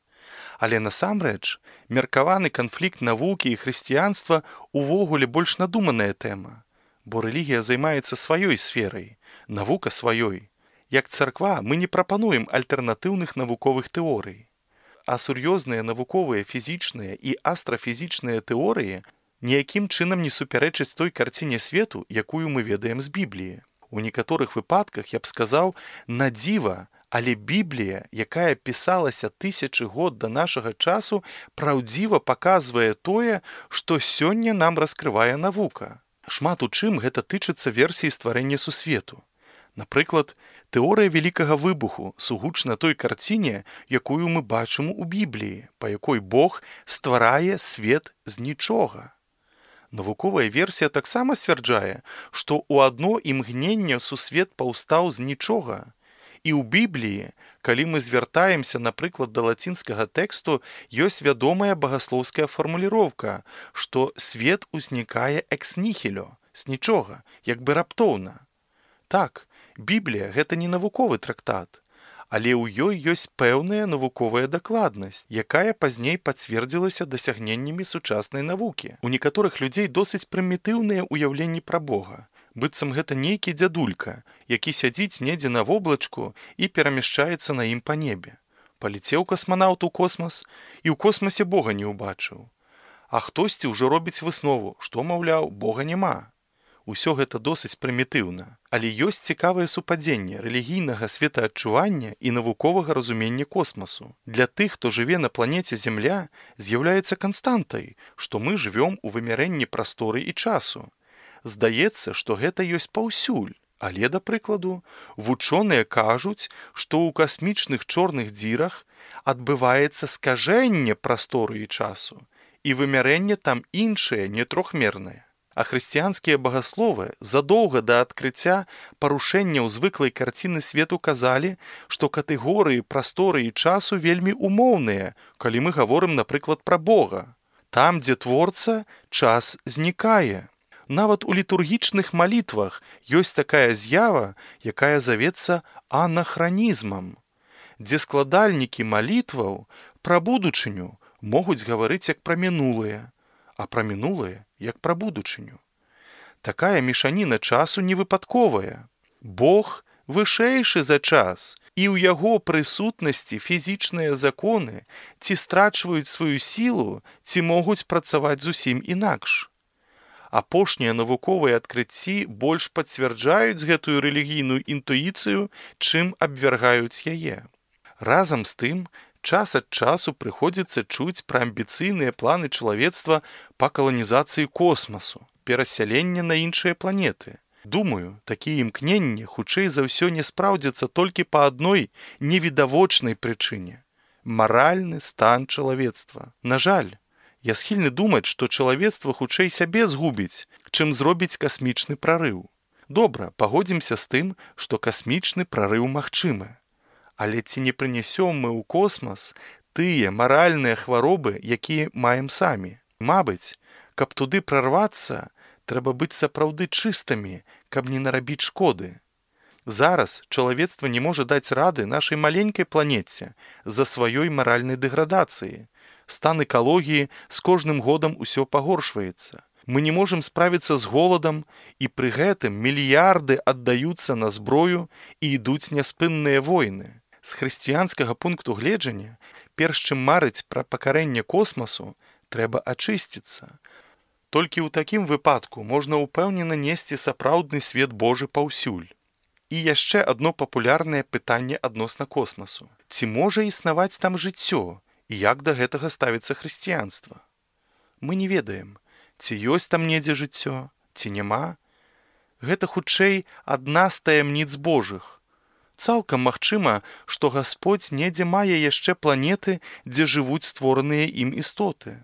Але насамрэч, меркаваны канфлікт навукі і хрысціянства увогуле больш надуманая тэма, бо рэлігія займаецца сваёй сферай, навука сваёй. Як царква мы не прапануем альтэрнатыўных навуковых тэорый. А сур'ёзныя навуковыя фізічныя і астрафізічныя тэорыі ніякім чынам не супярэчаць той карціне свету, якую мы ведаем з Бібліі. У некаторых выпадках, я б сказаў, на дзіва, але Біблія, якая пісалася тысячы год да нашага часу, праўдзіва паказвае тое, што сёння нам раскрывае навука. Шмат у чым гэта тычыцца версіі стварэння сусвету. Напрыклад, тэорыя вялікага выбуху сугучна той карціне, якую мы бачым у Бібліі, па якой Бог стварае свет з нічога. Навуковая версія таксама сцвярджае, што ў адно імгненне сусвет паўстаў з нічога. І ў Бібліі, калі мы звяртаемся, напрыклад, да лацінскага тэксту, ёсць вядомая багаслоўская фармуліроўка, што свет узнікае экс нихілё, з нічога, як бы раптоўна. Так, Біблія – гэта не навуковы трактат, але ў ёй ёсць пэўная навуковая дакладнасць, якая пазней пацвердзілася дасягненнямі сучаснай навукі. У некаторых людзей досыць прымітыўныя ўяўленні пра Бога, быццам гэта нейкі дзядулька, які сядзіць недзе на воблачку і перамяшчаецца на ім па небе. Палецеў касманаўт у космас і ў космасе Бога не ўбачыў. А хтосьці ўжо робіць выснову, што, маўляў, Бога няма. Усё гэта досыць прымітыўна, але ёсць цікавае супадзенне рэлігійнага светаадчування і навуковага разумення космасу. Для тых, хто жыве на планеце Зямля, з'яўляецца канстантай, што мы жывём у вымярэнні прасторы і часу. Здаецца, што гэта ёсць паўсюль, Але, да прыкладу, вучоныя кажуць, што ў касмічных чорных дзірах адбываецца скажэнне прасторы і часу, і вымярэнне там іншае, не трохмернае. А хрысціянскія багасловы задоўга да адкрыцця парушэнняў звыклай карціны свету казалі, што катэгорыі прасторы і часу вельмі умоўныя, калі мы гаворым, напрыклад, пра Бога. Там, дзе творца, час знікае. Нават у літургічных малітвах ёсць такая з'ява, якая завецца анахранізмам, дзе складальнікі малітваў пра будучыню могуць гаварыць як пра мінулае, а пра мінулае як пра будучыню. Такая мешаніна часу невыпадковая. Бог вышэйшы за час, і ў яго прысутнасці фізічныя законы ці страчваюць сваю сілу, ці могуць працаваць зусім інакш. Апошнія навуковыя адкрыцці больш пацвярджаюць гэтую рэлігійную інтуіцыю, чым абвяргаюць яе. Разам з тым, час ад часу прыходзіцца чуць пра амбіцыйныя планы чалавецтва па каланізацыі космасу, перасялення на іншыя планеты. Думаю, такія імкненні хутчэй за ўсё не спраўдзяцца толькі па адной невідавочнай прычыне – маральны стан чалавецтва. На жаль, я схільны думаць, што чалавецтва хутчэй сябе згубіць, чым зробіць касмічны прарыў. Добра, пагодзімся з тым, што касмічны прарыў магчымы. Але ці не прынясём мы ў космас тыя маральныя хваробы, якія маем самі? Мабыць, каб туды прарвацца, трэба быць сапраўды чыстымі, каб не нарабіць шкоды. Зараз чалавецтва не можа даць рады нашай маленькай планеце з-за сваёй маральнай дэградацыі. Стан экалогіі з кожным годам усё пагоршваецца. Мы не можам справіцца з голадам, і пры гэтым мільярды аддаюцца на зброю і ідуць няспынныя войны. З хрысціянскага пункту гледжання, перш чым марыць пра пакарэнне космасу, трэба ачысціцца. Толькі ў такім выпадку можна ўпэўнена несці сапраўдны свет Божы паўсюль. І яшчэ адно папулярнае пытанне адносна космасу. Ці можа існаваць там жыццё? І як да гэтага ставіцца хрысціянства? Мы не ведаем, ці ёсць там недзе жыццё, ці няма. Гэта хутчэй адна з таямніц Божых. Цалкам магчыма, што Гасподзь недзе мае яшчэ планеты, дзе жывуць створаныя ім істоты.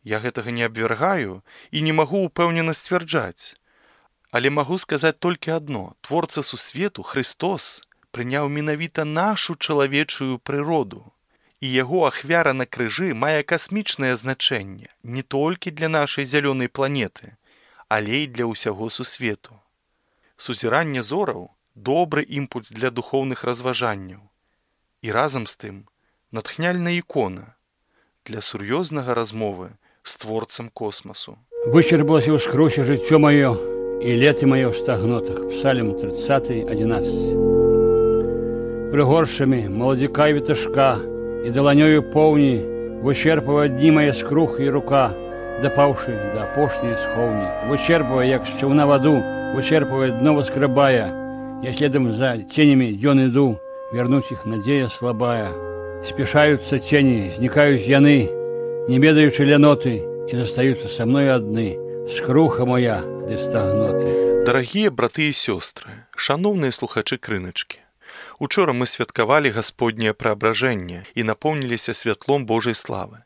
Я гэтага не абвяргаю і не магу ўпэўнена сцвярджаць. Але магу сказаць толькі адно. Творца сусвету, Христос, прыняў менавіта нашу чалавечую прыроду. І яго ахвяра на крыжы мае касмічнае значэнне не толькі для нашай зялёнай планеты, але і для ўсяго сусвету. Сузіранне зораў – добры імпульс для духоўных разважанняў. І разам з тым натхняльная ікона для сур'ёзнага размовы з творцам космасу. Вычерпалася ўскрусе жыццё маё і леты маё ў стагнотах. Псалм 30, 11. Прыгоршамі маладзіка і віташка і даланёю поўні вычерпвае дні мае скрух і рука, дапаўшы да апошняй схоўні. Вычерпвае, як з чаўна ваду, вычерпвае дно воскрабая. Я следам за ценямі дзён іду, вернуць іх надзея слабая. Спяшаюцца цені, знікаюць яны, не ведаючы ляноты, і застаюцца са мной адны, скруха моя ды стагноты. Дарагія браты і сёстры, шаноўныя слухачы крыначкі, учора мы святкавалі Гасподняе праабражэнне і напоўніліся святлом Божай славы.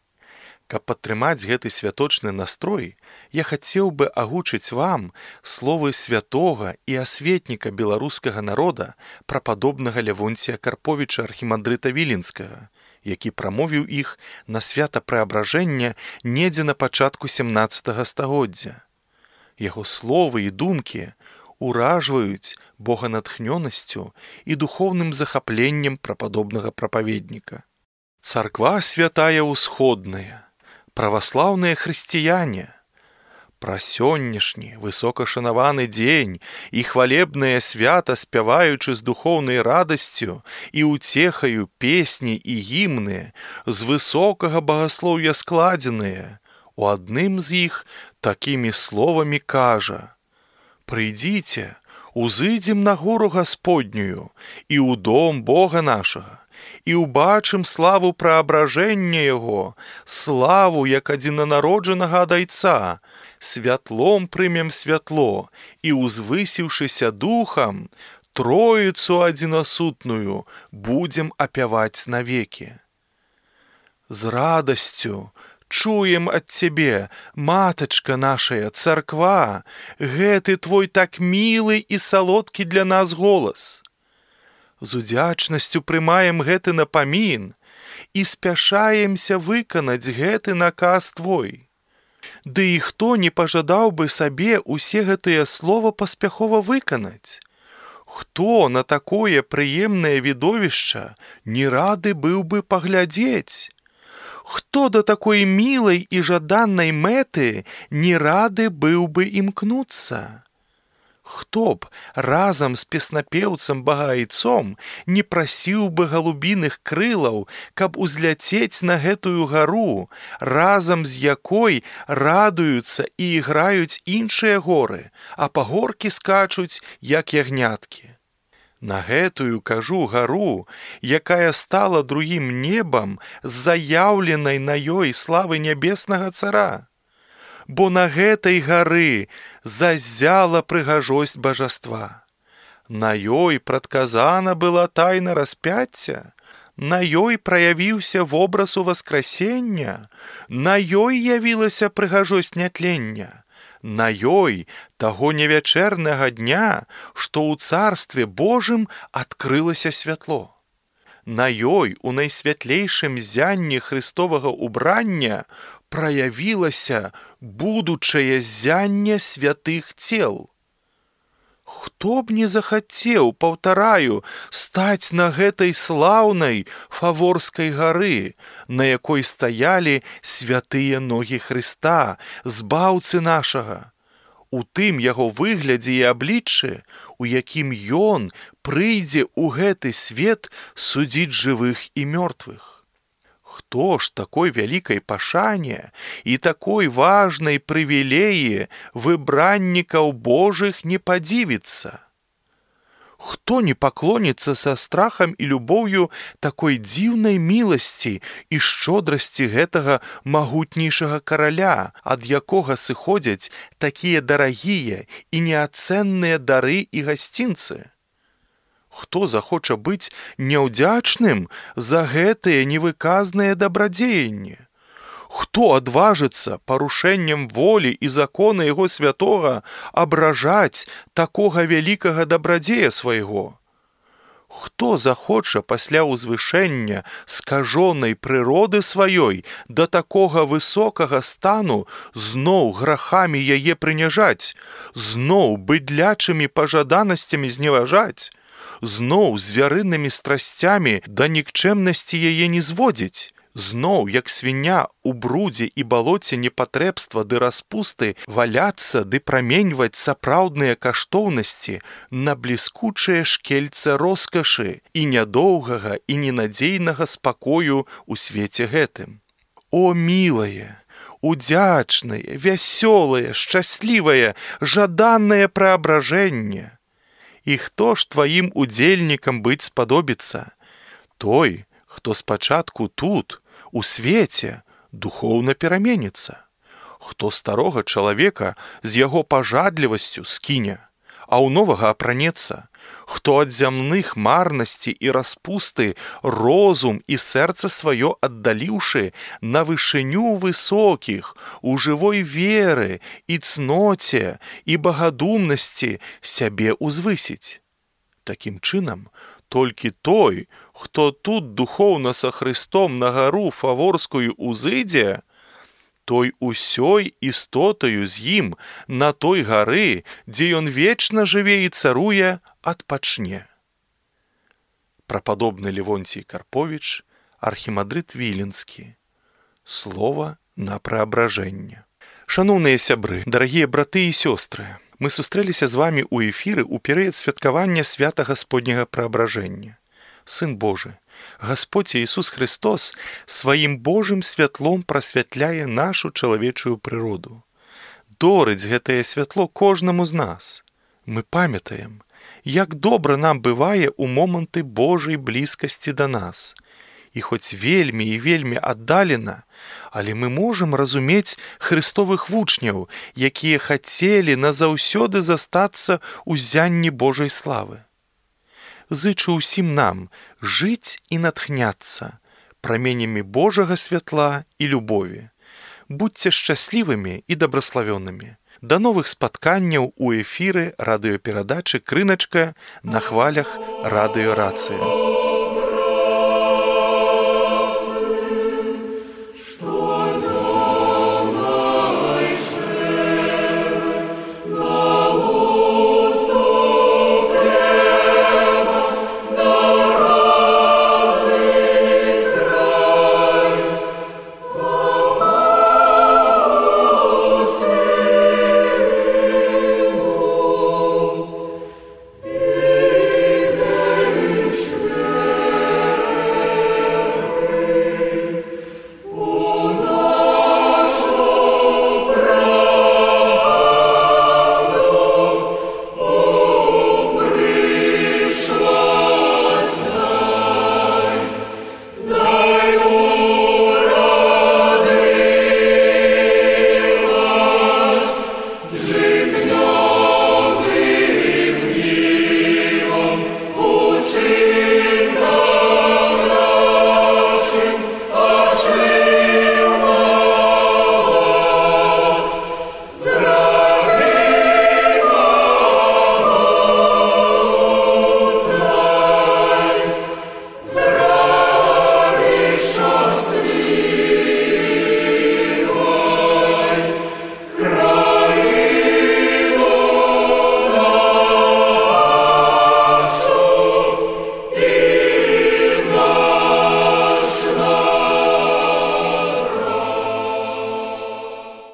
Каб падтрымаць гэты святочны настрой, я хацеў бы агучыць вам словы святога і асветніка беларускага народа прападобнага Лявонція Карповіча архімандрыта Віленскага, які прамовіў іх на свята праабражэння недзе на пачатку 17 стагоддзя. Яго словы і думкі уражваюць боганатхнёнасцю і духоўным захапленнем прападобнага прапаведніка. Царква святая ўсходная, праваслаўныя хрысціяне, пра сённяшні высокашанаваны дзень і хвалебнае свята спяваючы з духоўнай радасцю і ўцехаю песні і гімны з высокага багаслоўя складзеныя, у адным з іх такімі словамі кажа: «Прыйдзіце, узыдзем на гору Гасподнюю і ў дом Бога нашага, і ўбачым славу праабражэння Яго, славу, як адзінанароджанага ад Айца, святлом прымем святло, і, узвысіўшыся духам, Троіцу адзінасутную будзем апяваць навекі. З радасцю чуем ад Цябе, матачка нашая, царква, гэты Твой так мілы і салодкі для нас голас. З удзячнасцю прымаем гэты напамін і спяшаемся выканаць гэты наказ Твой. Ды і хто не пажадаў бы сабе усе гэтыя слова паспяхова выканаць? Хто на такое прыемнае відовішча не рады быў бы паглядзець? Хто да такой мілай і жаданнай мэты не рады быў бы імкнуцца? Хто б разам з песнапеўцам-багаайцом не прасіў бы галубіных крылаў, каб узляцець на гэтую гару, разам з якой радуюцца і іграюць іншыя горы, а пагоркі скачуць, як ягняткі. На гэтую, кажу, гару, якая стала другім небам з заяўленай на ёй славы нябеснага цара. Бо на гэтай гары заззяла прыгажосць бажаства. На ёй прадказана была тайна распяцця, на ёй праявіўся вобраз уваскрасення, на ёй явілася прыгажосць нятлення, на ёй таго невячэрнага дня, што ў царстве Божым адкрылася святло. На ёй у найсвятлейшым зянні Христовага убрання праявілася будучае зянне святых цел. Хто б не захацеў, паўтараю, стаць на гэтай слаўнай Фаворскай гары, на якой стаялі святыя ногі Хрыста, збаўцы нашага, у тым яго выглядзе і абліччы, у якім ён прыйдзе ў гэты свет судзіць жывых і мёртвых. Хто ж такой вялікай пашане і такой важнай прывілеі выбраннікаў Божых не падзівіцца? Хто не паклоніцца са страхам і любоўю такой дзіўнай міласці і шчодрасці гэтага магутнейшага караля, ад якога сыходзяць такія дарагія і неацэнныя дары і гасцінцы? Хто захоча быць няўдзячным за гэтыя невыказныя дабрадзеянні? Хто адважыцца парушэннем волі і закона яго святога абражаць такога вялікага дабрадзея свайго? Хто захоча пасля ўзвышэння скажонай прыроды сваёй да такога высокага стану зноў грахамі яе прыняжаць, зноў быдлячымі пажаданасцямі зневажаць, зноў звярынымі страсцямі да нікчэмнасці яе не зводзіць, зноў, як свіня у брудзе і балоце непатрэбства ды распусты валяцца ды праменьваць сапраўдныя каштоўнасці на бліскучае шкельца роскашы і нядоўгага і ненадзейнага спакою ў свеце гэтым. О, мілае, удзячнае, вясёлае, шчаслівае, жаданае праабражэнне! І хто ж тваім удзельнікам быць спадобіцца? Той, хто спачатку тут, у свеце, духоўна пераменіцца. Хто старога чалавека з яго пажадлівасцю скіне, а ў новага апранецца. Хто ад зямных марнасці і распусты розум і сэрца сваё аддаліўшы на вышыню высокіх, у жывой веры і цноце і багадумнасці сябе узвысіць. Такім чынам, толькі той, хто тут духоўна са Христом на гару Фаворскую узыдзе, той усёй істотаю з ім на той гары, дзе ён вечна жыве і царуе, адпачне. Прападобны Левонцій Карповіч, архімандрыт Віленскі. Слова на праабражэнне. Шаноўныя сябры, дарагія браты і сёстры, мы сустрэліся з вамі ў эфіры ў перыяд святкавання свята Гасподняга праабражэння. Сын Божы, Гасподзь Ісус Христос сваім Божым святлом прасвятляе нашу чалавечую прыроду. Дорыць гэтае святло кожнаму з нас. Мы памятаем, як добра нам бывае ў моманты Божай блізкасці да нас. І хоць вельмі і вельмі аддалена, але мы можам разумець хрыстовых вучняў, якія хацелі назаўсёды застацца ў ззянні Божай славы. Зычу ўсім нам жыць і натхняцца праменямі Божага святла і любові. Будьце шчаслівымі і дабраславёнымі. Да новых спатканняў у эфіры радыёперадачы «Крыначка» на хвалях радыёрацыі.